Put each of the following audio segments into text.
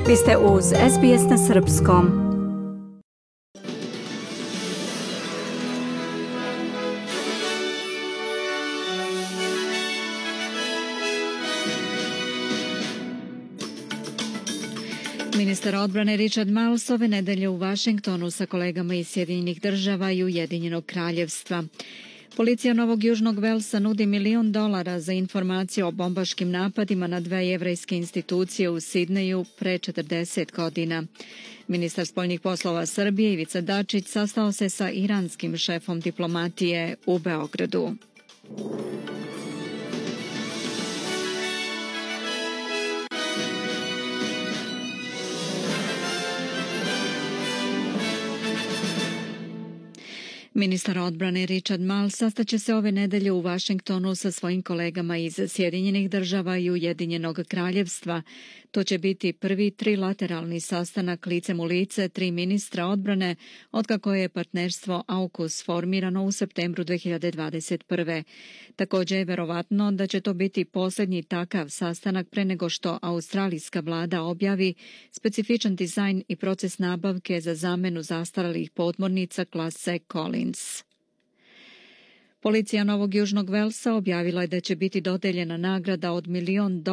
Vi ste uz SBS na srpskom. Ministar odbrane Richard Marles ove nedelje u Vašingtonu sa kolegama iz Sjedinjenih država i Ujedinjenog kraljevstva. Policija Novog Južnog Velsa nudi $1 milion za informacije o bombaškim napadima na 2 jevrejske institucije u Sidneju pre 40 godina. Ministar spoljnih poslova Srbije Ivica Dačić sastao se sa iranskim šefom diplomatije u Beogradu. Ministar odbrane Richard Marles sastaće se ove nedelje u Vašingtonu sa svojim kolegama iz Sjedinjenih država i Ujedinjenog kraljevstva. To će biti prvi trilateralni sastanak licem u lice 3 ministra odbrane otkako je partnerstvo AUKUS formirano u septembru 2021. Također je verovatno da će to biti posljednji takav sastanak pre nego što australijska vlada objavi specifičan dizajn i proces nabavke za zamenu zastarelih podmornica klase Collins. Policija Novog Južnog Velsa objavila je da će biti dodeljena nagrada od $1 milion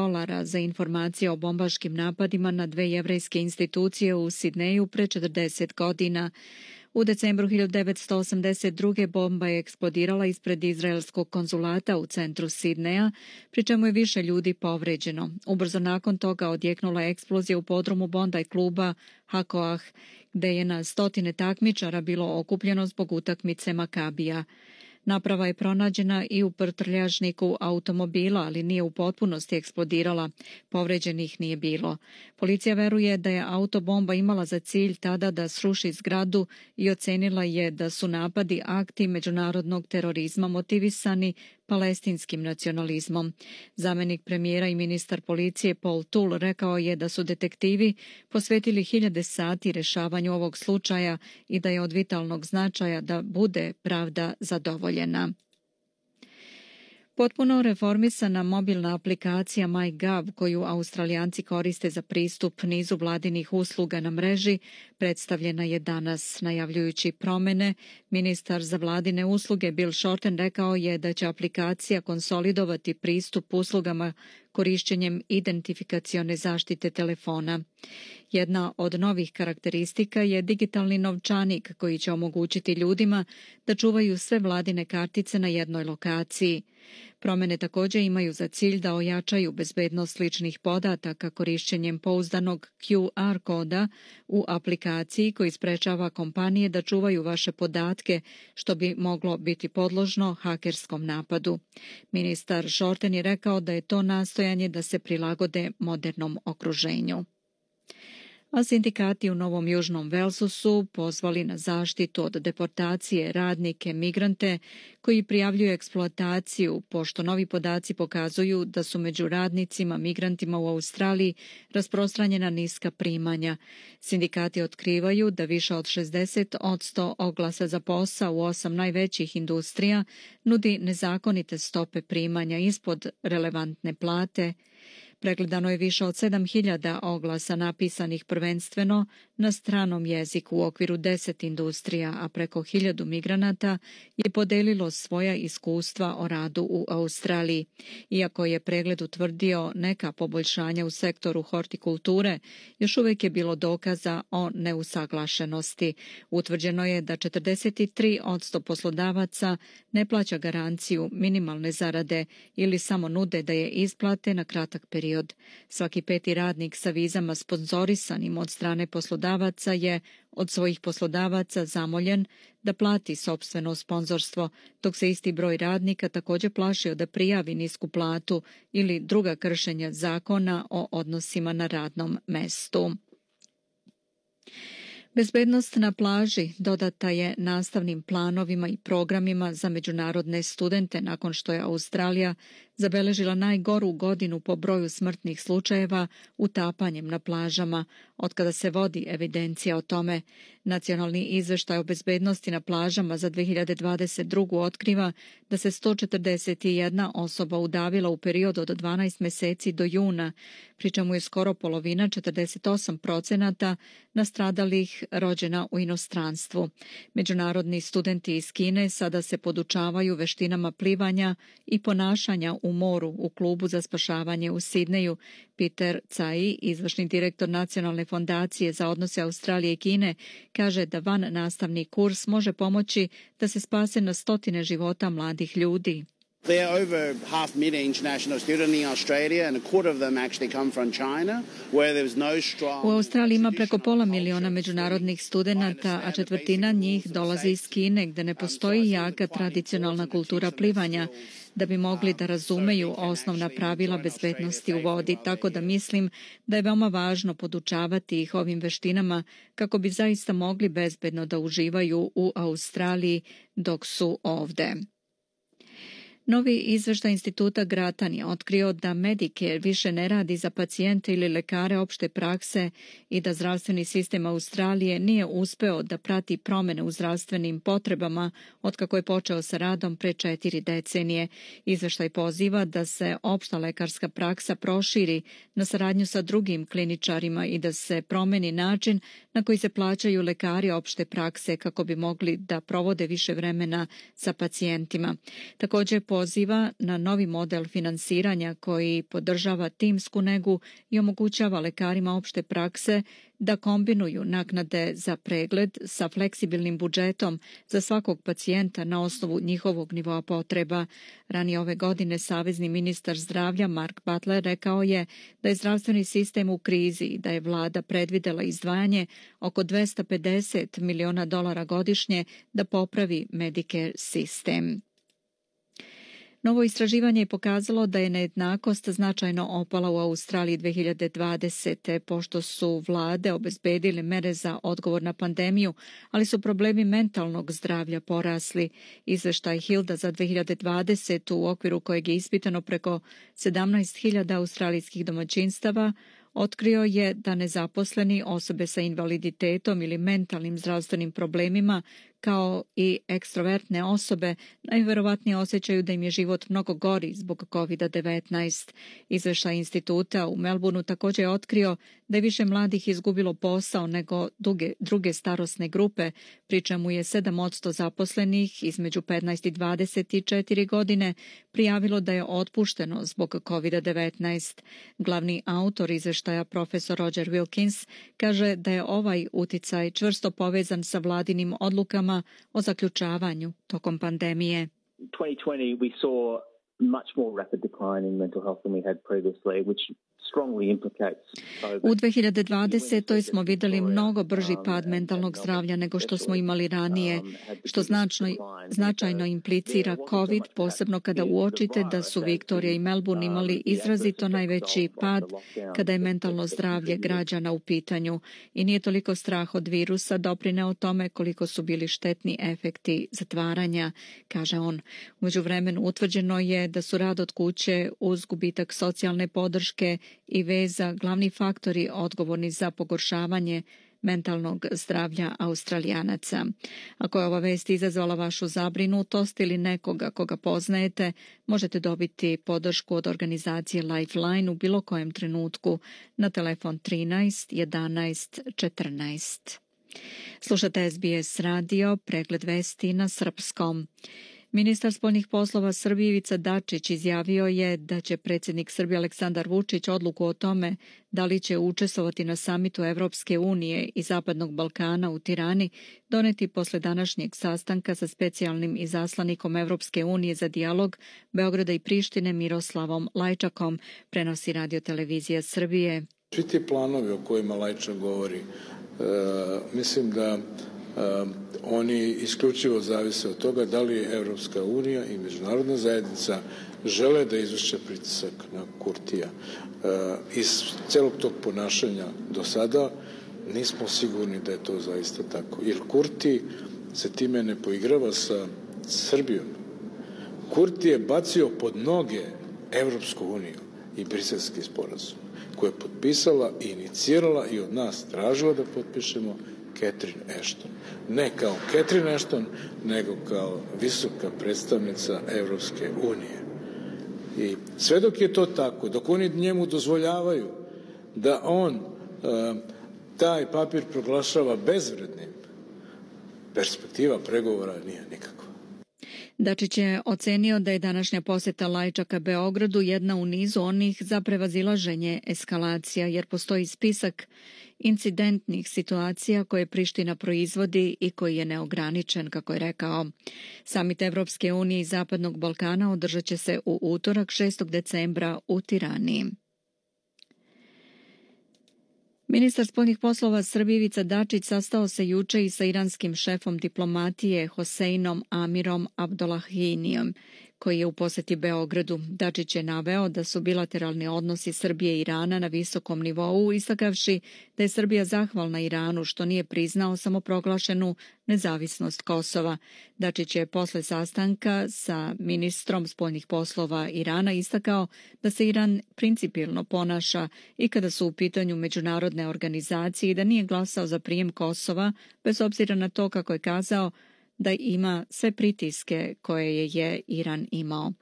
za informacije o bombaškim napadima na 2 jevrejske institucije u Sidneju pre 40 godina. U decembru 1982. bomba je eksplodirala ispred izraelskog konzulata u centru Sidneja, pri čemu je više ljudi povređeno. Ubrzo nakon toga odjeknula eksplozija u podrumu Bondi kluba Hakoah, gde je na stotine takmičara bilo okupljeno zbog utakmice Makabija. Naprava je pronađena i u prtljažniku automobila, ali nije u potpunosti eksplodirala. Povređenih nije bilo. Policija veruje da je autobomba imala za cilj tada da sruši zgradu i ocenila je da su napadi akti međunarodnog terorizma motivisani palestinskim nacionalizmom. Zamenik premijera i ministar policije Paul Toole rekao je da su detektivi posvetili 1000 sati rešavanju ovog slučaja i da je od vitalnog značaja da bude pravda zadovoljena. Potpuno reformisana mobilna aplikacija MyGov, koju Australijanci koriste za pristup nizu vladinih usluga na mreži, predstavljena je danas. Najavljujući promene, ministar za vladine usluge Bill Shorten rekao je da će aplikacija konsolidovati pristup uslugama korišćenjem identifikacione zaštite telefona. Jedna od novih karakteristika je digitalni novčanik koji će omogućiti ljudima da čuvaju sve vladine kartice na jednoj lokaciji. Promene također imaju za cilj da ojačaju bezbednost ličnih podataka korišćenjem pouzdanog QR koda u aplikaciji koji sprečava kompanije da čuvaju vaše podatke, što bi moglo biti podložno hakerskom napadu. Ministar Shorten je rekao da je to nastojanje da se prilagode modernom okruženju. A sindikati u Novom Južnom Velsu su pozvali na zaštitu od deportacije radnike, migrante koji prijavljuju eksploataciju, pošto novi podaci pokazuju da su među radnicima, migrantima u Australiji rasprostranjena niska primanja. Sindikati otkrivaju da više od 60% oglasa za posao u 8 najvećih industrija nudi nezakonite stope primanja ispod relevantne plate. Pregledano je više od 7000 oglasa napisanih prvenstveno na stranom jeziku u okviru 10 industrija, a preko 1000 migranata je podelilo svoja iskustva o radu u Australiji. Iako je pregled utvrdio neka poboljšanja u sektoru hortikulture, još uvijek je bilo dokaza o neusaglašenosti. Utvrđeno je da 43% poslodavaca ne plaća garanciju minimalne zarade ili samo nude da je isplate na kratak period. Svaki 5. radnik sa vizama sponzorisanim od strane poslodavaca je od svojih poslodavaca zamoljen da plati sopstveno sponzorstvo, dok se isti broj radnika također plašio da prijavi nisku platu ili druga kršenja zakona o odnosima na radnom mestu. Bezbednost na plaži dodata je nastavnim planovima i programima za međunarodne studente nakon što je Australija zabeležila najgoru godinu po broju smrtnih slučajeva utapanjem na plažama, otkada se vodi evidencija o tome. Nacionalni izveštaj o bezbednosti na plažama za 2022. otkriva da se 141 osoba udavila u periodu od 12 meseci do juna, pri čemu je skoro polovina, 48%, nastradalih rođena u inostranstvu. Međunarodni studenti iz Kine sada se podučavaju veštinama plivanja i ponašanja u moru u klubu za spašavanje u Sidneju. Peter Tsai, izvršni direktor Nacionalne fondacije za odnose Australije i Kine, kaže da van nastavni kurs može pomoći da se spase na stotine života mladih ljudi. There are over 500,000 international students in Australia and a quarter of them actually come from China, where there's no strong... U Australiji ima preko 500,000 međunarodnih studenata, a četvrtina njih dolazi iz Kine, gde ne postoji jaka tradicionalna kultura plivanja, da bi mogli da razumeju osnovna pravila bezbednosti u vodi, tako da mislim da je veoma važno podučavati ih ovim veštinama kako bi zaista mogli bezbedno da uživaju u Australiji dok su ovde. Novi izveštaj instituta Grattan je otkrio da Medicare više ne radi za pacijente ili lekare opšte prakse i da zdravstveni sistem Australije nije uspeo da prati promene u zdravstvenim potrebama otkako je počeo sa radom pre 4 decenije. Izveštaj poziva da se opšta lekarska praksa proširi na saradnju sa drugim kliničarima i da se promeni način na koji se plaćaju lekari opšte prakse kako bi mogli da provode više vremena sa pacijentima. Također poziva na novi model finansiranja koji podržava timsku negu i omogućava lekarima opšte prakse da kombinuju naknade za pregled sa fleksibilnim budžetom za svakog pacijenta na osnovu njihovog nivoa potreba. Ranije ove godine savezni ministar zdravlja Mark Butler rekao je da je zdravstveni sistem u krizi i da je vlada predvidela izdvajanje oko $250 miliona godišnje da popravi Medicare sistem. Novo istraživanje je pokazalo da je nejednakost značajno opala u Australiji 2020. pošto su vlade obezbedile mere za odgovor na pandemiju, ali su problemi mentalnog zdravlja porasli. Izveštaj Hilda za 2020. u okviru kojeg je ispitano preko 17.000 australijskih domaćinstava otkrio je da nezaposleni, osobe sa invaliditetom ili mentalnim zdravstvenim problemima, kao i ekstrovertne osobe, najverovatnije osjećaju da im je život mnogo gori zbog COVID-19. Izveštaj instituta u Melbourneu također je otkrio da je više mladih izgubilo posao nego druge starosne grupe, pri čemu je 7% zaposlenih između 15 i 24 godine prijavilo da je otpušteno zbog COVID-19. Glavni autor izveštaja, profesor Roger Wilkins, kaže da je ovaj uticaj čvrsto povezan sa vladinim odlukama o zaključavanju tokom pandemije. 2020 we saw much more rapid decline in mental health than we had previously, which U 2020. smo vidjeli mnogo brži pad mentalnog zdravlja nego što smo imali ranije, što značajno implicira COVID, posebno kada uočite da su Viktorija i Melbourne imali izrazito najveći pad kada je mentalno zdravlje građana u pitanju. I nije toliko strah od virusa doprineo tome koliko su bili štetni efekti zatvaranja, kaže on. U međuvremenu utvrđeno je da su rad od kuće uz gubitak socijalne podrške i veza glavni faktori odgovorni za pogoršavanje mentalnog zdravlja Australijanaca. Ako je ova vest izazvala vašu zabrinutost ili nekoga koga poznajete, možete dobiti podršku od organizacije Lifeline u bilo kojem trenutku na telefon 13 11 14. Slušate SBS radio, pregled vesti na srpskom. Ministar spoljnih poslova Srbije Ivica Dačić izjavio je da će predsjednik Srbije Aleksandar Vučić odluku o tome da li će učestvovati na samitu Evropske unije i Zapadnog Balkana u Tirani doneti posle današnjeg sastanka sa specijalnim izaslanikom Evropske unije za dijalog Beograda i Prištine Miroslavom Lajčakom, prenosi radiotelevizija Srbije. Svi ti planovi o kojima Lajčak govori, mislim da oni isključivo zavise od toga da li Evropska unija i međunarodna zajednica žele da izvrše pritisak na Kurtija. Iz celog tog ponašanja do sada nismo sigurni da je to zaista tako. Jer Kurti se time ne poigrava sa Srbijom. Kurti je bacio pod noge Evropsku uniju i Briselski sporazum, koje je potpisala i inicirala i od nas tražila da potpišemo Catherine Ashton. Ne kao Catherine Ashton, nego kao visoka predstavnica Evropske unije. I sve dok je to tako, dok oni njemu dozvoljavaju da on taj papir proglašava bezvrednim, perspektiva pregovora nije nikakva. Dačić je ocenio da je današnja poseta Lajčaka Beogradu jedna u nizu onih za prevazilaženje eskalacija, jer postoji spisak incidentnih situacija koje Priština proizvodi i koji je neograničen, kako je rekao. Samit Evropske unije i Zapadnog Balkana održat će se u utorak 6. decembra u Tirani. Ministar spoljnih poslova Srbije Ivica Dačić sastao se juče i sa iranskim šefom diplomatije Hoseinom Amirom Abdollahijem, koji je u poseti Beogradu. Dačić je naveo da su bilateralni odnosi Srbije i Irana na visokom nivou, istakavši da je Srbija zahvalna Iranu što nije priznao samoproglašenu nezavisnost Kosova. Dačić je posle sastanka sa ministrom spoljnih poslova Irana istakao da se Iran principijelno ponaša i kada su u pitanju međunarodne organizacije i da nije glasao za prijem Kosova, bez obzira na to, kako je kazao, da ima sve pritiske koje je Iran imao.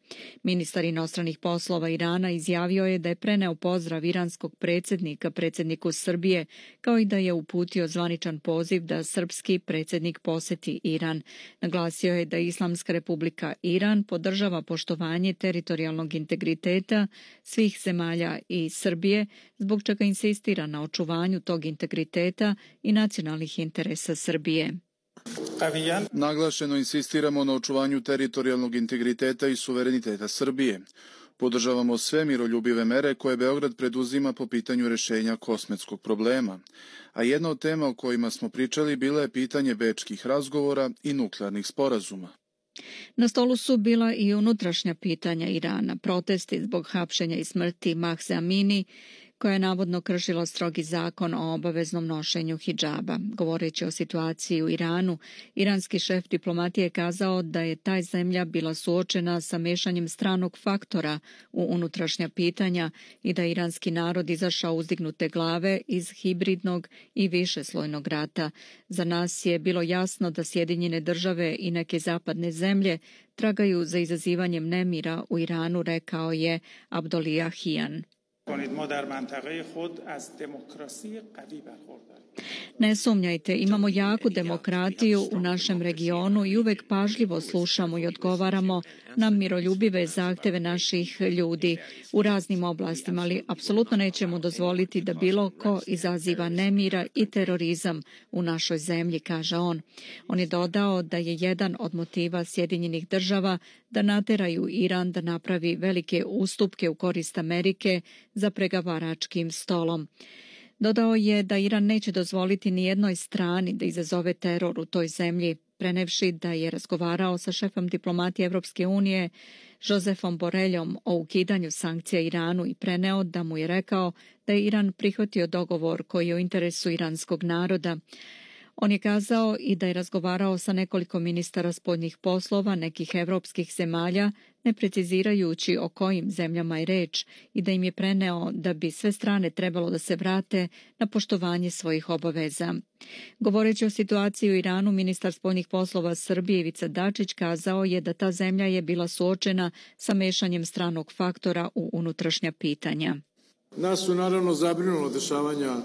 Ministar inostranih poslova Irana izjavio je da je preneo pozdrav iranskog predsjednika predsjedniku Srbije, kao i da je uputio zvaničan poziv da srpski predsjednik poseti Iran. Naglasio je da Islamska republika Iran podržava poštovanje teritorijalnog integriteta svih zemalja i Srbije, zbog čega insistira na očuvanju tog integriteta i nacionalnih interesa Srbije. Naglašeno insistiramo na očuvanju teritorijalnog integriteta i suvereniteta Srbije. Podržavamo sve miroljubive mere koje Beograd preduzima po pitanju rešenja kosmetskog problema. A jedna od tema o kojima smo pričali bila je pitanje bečkih razgovora i nuklearnih sporazuma. Na stolu su bila i unutrašnja pitanja Irana, protesti zbog hapšenja i smrti Mahse Amini, koja je navodno kršila strogi zakon o obaveznom nošenju hidžaba. Govoreći o situaciji u Iranu, iranski šef diplomatije je kazao da je ta zemlja bila suočena sa mešanjem stranog faktora u unutrašnja pitanja i da je iranski narod izašao uzdignute glave iz hibridnog i višeslojnog rata. Za nas je bilo jasno da Sjedinjene države i neke zapadne zemlje tragaju za izazivanjem nemira u Iranu, rekao je Abdollahian. Ne sumnjajte, imamo jaku demokratiju u našem regionu i uvek pažljivo slušamo i odgovaramo na miroljubive zahteve naših ljudi u raznim oblastima, ali apsolutno nećemo dozvoliti da bilo ko izaziva nemira i terorizam u našoj zemlji, kaže on. On je dodao da je jedan od motiva Sjedinjenih država da nateraju Iran da napravi velike ustupke u korist Amerike za pregovaračkim stolom. Dodao je da Iran neće dozvoliti ni jednoj strani da izazove teror u toj zemlji, prenevši da je razgovarao sa šefom diplomatije Evropske unije Josefom Boreljom o ukidanju sankcija Iranu i preneo da mu je rekao da je Iran prihvatio dogovor koji je u interesu iranskog naroda. On je kazao i da je razgovarao sa nekoliko ministara spoljnih poslova nekih evropskih zemalja, ne precizirajući o kojim zemljama je reč, i da im je preneo da bi sve strane trebalo da se vrate na poštovanje svojih obaveza. Govoreći o situaciji u Iranu, ministar spoljnih poslova Srbije Ivica Dačić kazao je da ta zemlja je bila suočena sa mešanjem stranog faktora u unutrašnja pitanja. Nas su naravno zabrinula dešavanja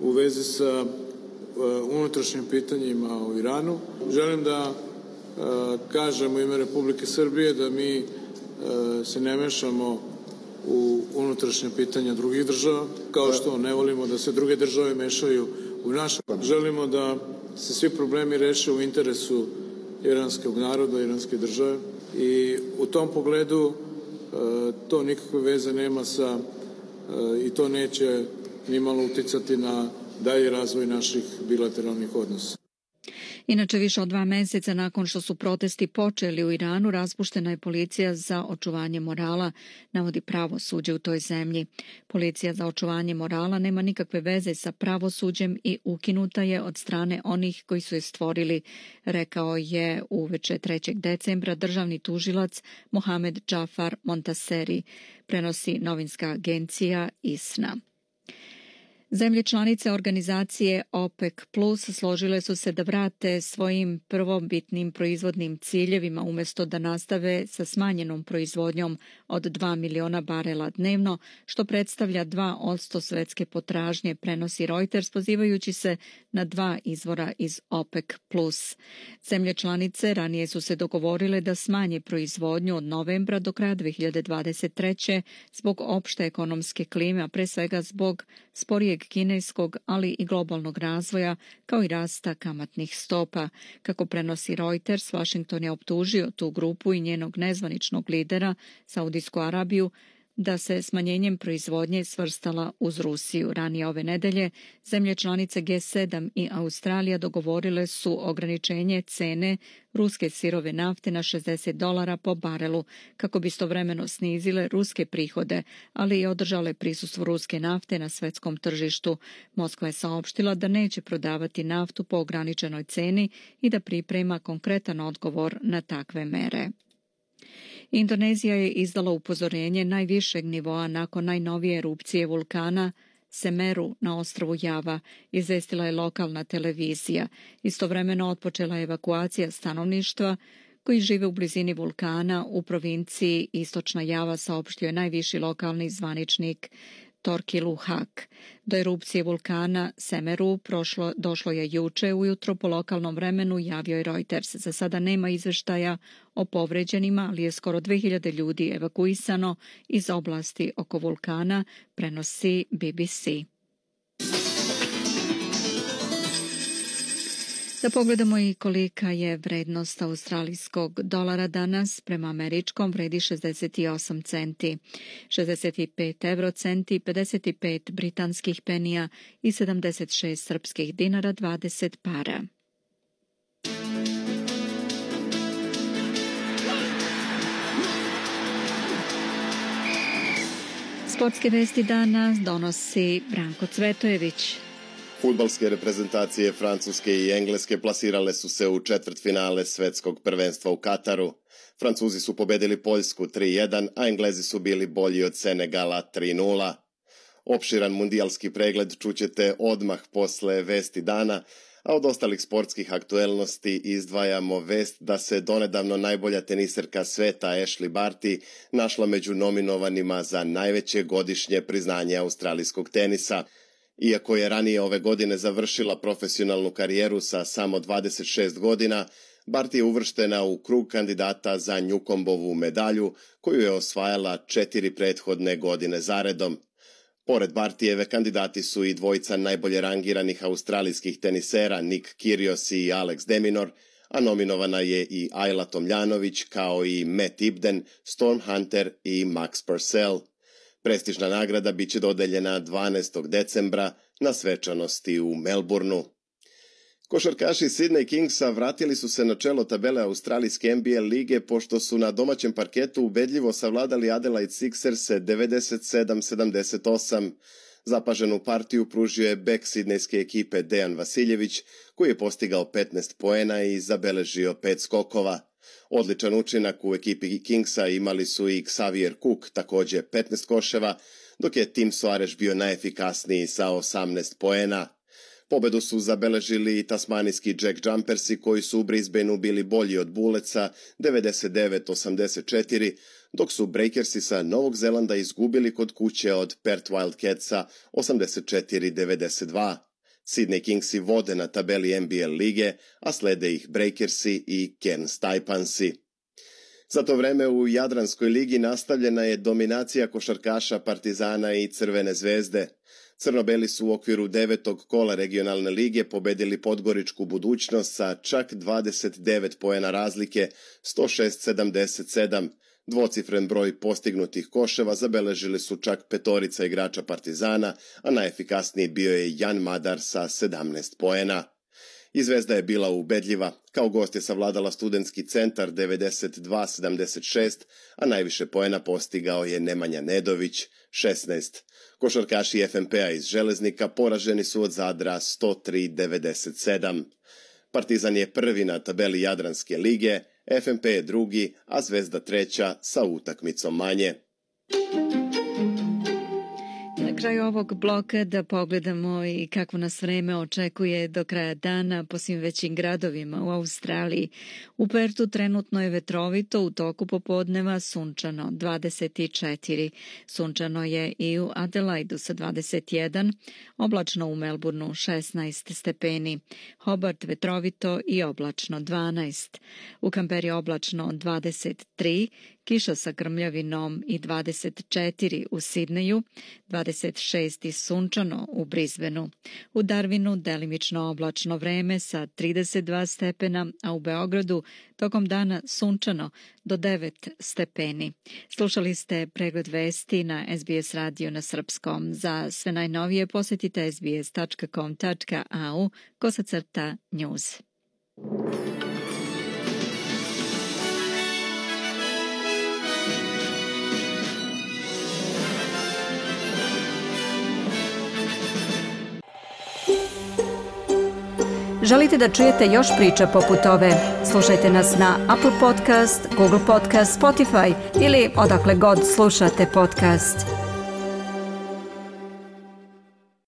u vezi sa unutrašnjim pitanjima u Iranu. Želim da kažem u ime Republike Srbije da mi se ne mešamo u unutrašnje pitanja drugih država, kao što ne volimo da se druge države mešaju u naše. Želimo da se svi problemi reše u interesu iranskog naroda, iranske države i u tom pogledu to nikakve veze nema sa i to neće nimalo uticati na dalji razvoj naših bilateralnih odnosa. Inače, više od 2 meseca nakon što su protesti počeli u Iranu, raspuštena je policija za očuvanje morala, navodi pravosuđe u toj zemlji. Policija za očuvanje morala nema nikakve veze sa pravosuđem i ukinuta je od strane onih koji su je stvorili, rekao je uveče 3. decembra državni tužilac Mohamed Džafar Montaseri, prenosi novinska agencija ISNA. Zemlje članice organizacije OPEC Plus složile su se da vrate svojim prvobitnim proizvodnim ciljevima umjesto da nastave sa smanjenom proizvodnjom od 2 miliona barela dnevno, što predstavlja 2% svetske potražnje, prenosi Reuters pozivajući se na 2 izvora iz OPEC Plus. Zemlje članice ranije su se dogovorile da smanje proizvodnju od novembra do kraja 2023. zbog opšte ekonomske klime, a pre svega zbog sporijeg kineskog, ali i globalnog razvoja, kao i rasta kamatnih stopa. Kako prenosi Reuters, Washington je optužio tu grupu i njenog nezvaničnog lidera, Saudijsku Arabiju, da se smanjenjem proizvodnje svrstala uz Rusiju. Ranije ove nedelje zemlje članice G7 i Australija dogovorile su ograničenje cene ruske sirove nafte na $60 po barelu, kako bi istovremeno snizile ruske prihode, ali i održale prisustvo ruske nafte na svetskom tržištu. Moskva je saopštila da neće prodavati naftu po ograničenoj ceni i da priprema konkretan odgovor na takve mere. Indonezija je izdala upozorenje najvišeg nivoa nakon najnovije erupcije vulkana Semeru na ostrvu Java, izvestila je lokalna televizija. Istovremeno otpočela je evakuacija stanovništva koji žive u blizini vulkana u provinciji Istočna Java, saopštio je najviši lokalni zvaničnik Torkilu Hak. Do erupcije vulkana Semeru došlo je juče ujutro po lokalnom vremenu, javio je Reuters. Za sada nema izveštaja o povređenima, ali je skoro 2000 ljudi evakuisano iz oblasti oko vulkana, prenosi BBC. Da pogledamo i kolika je vrednost australijskog dolara danas, prema američkom vredi 68 centi, 65 eurocenti, 55 britanskih penija i 76 srpskih dinara 20 para. Sportske vesti dana donosi Branko Cvetojević. Fudbalske reprezentacije Francuske i Engleske plasirale su se u četvrtfinale svetskog prvenstva u Kataru. Francuzi su pobedili Poljsku 3-1, a Englezi su bili bolji od Senegala 3-0. Opširan mundijalski pregled čućete odmah posle vesti dana, a od ostalih sportskih aktuelnosti izdvajamo vest da se donedavno najbolja teniserka sveta Ashley Barty našla među nominovanima za najveće godišnje priznanje australijskog tenisa. Iako je ranije ove godine završila profesionalnu karijeru sa samo 26 godina, Barty je uvrštena u krug kandidata za Newcombovu medalju, koju je osvajala 4 prethodne godine zaredom. Pored Bartyjeve kandidati su i dvojica najbolje rangiranih australijskih tenisera Nick Kyrgios i Alex de Minaur, a nominovana je i Ajla Tomljanović kao i Matt Ibden, Storm Hunter i Max Purcell. Prestižna nagrada biće dodeljena 12. decembra na svečanosti u Melbourneu. Košarkaši Sydney Kingsa vratili su se na čelo tabele australijske NBA lige pošto su na domaćem parketu ubedljivo savladali Adelaide Sixerse 97-78. Zapaženu partiju pružio je bek sidnejske ekipe Dejan Vasiljević, koji je postigao 15 poena i zabeležio 5 skokova. Odličan učinak u ekipi Kingsa imali su i Xavier Cook, također 15 koševa, dok je Tim Soares bio najefikasniji sa 18 poena. Pobedu su zabeležili i tasmanijski Jack Jumpersi koji su u Brisbaneu bili bolji od Bulletsa 99-84, dok su Breakersi sa Novog Zelanda izgubili kod kuće od Perth Wildcatsa 84-92. Sydney Kingsi vode na tabeli NBA lige, a slede ih Breakersi i Cairns Taipansi. Za to vreme u Jadranskoj ligi nastavljena je dominacija košarkaša Partizana i Crvene zvezde. Crnobeli su u okviru 9. kola regionalne lige pobedili Podgoričku Budućnost sa čak 29 poena razlike, 106-77. Dvocifren broj postignutih koševa zabeležili su čak 5 igrača Partizana, a najefikasniji bio je Jan Madar sa 17 poena. I Zvezda je bila ubedljiva. Kao gost je savladala Studentski centar 92-76, a najviše poena postigao je Nemanja Nedović 16. Košarkaši FNP-a iz Železnika poraženi su od Zadra 103-97. Partizan je prvi na tabeli Jadranske lige, FNP je drugi, a Zvezda treća sa utakmicom manje. Na kraju ovog bloka da pogledamo i kako nas vreme očekuje do kraja dana po svim većim gradovima u Australiji. U Pertu trenutno je vetrovito, u toku popodneva sunčano 24. Sunčano je i u Adelaidu sa 21, oblačno u Melbourneu 16 stepeni. Hobart vetrovito i oblačno 12. U Kamperi oblačno 23, kiša sa grmljavinom i 24 u Sidneju, 26 i sunčano u Brisbaneu. U Darwinu delimično oblačno vreme sa 32 stepena, a u Beogradu tokom dana sunčano do 9 stepeni. Slušali ste pregled vesti na SBS radio na srpskom. Za sve najnovije posjetite sbs.com.au/news. Želite da čujete još priča poput ove? Slušajte nas na Apple Podcast, Google Podcast, Spotify ili odakle god slušate podcast.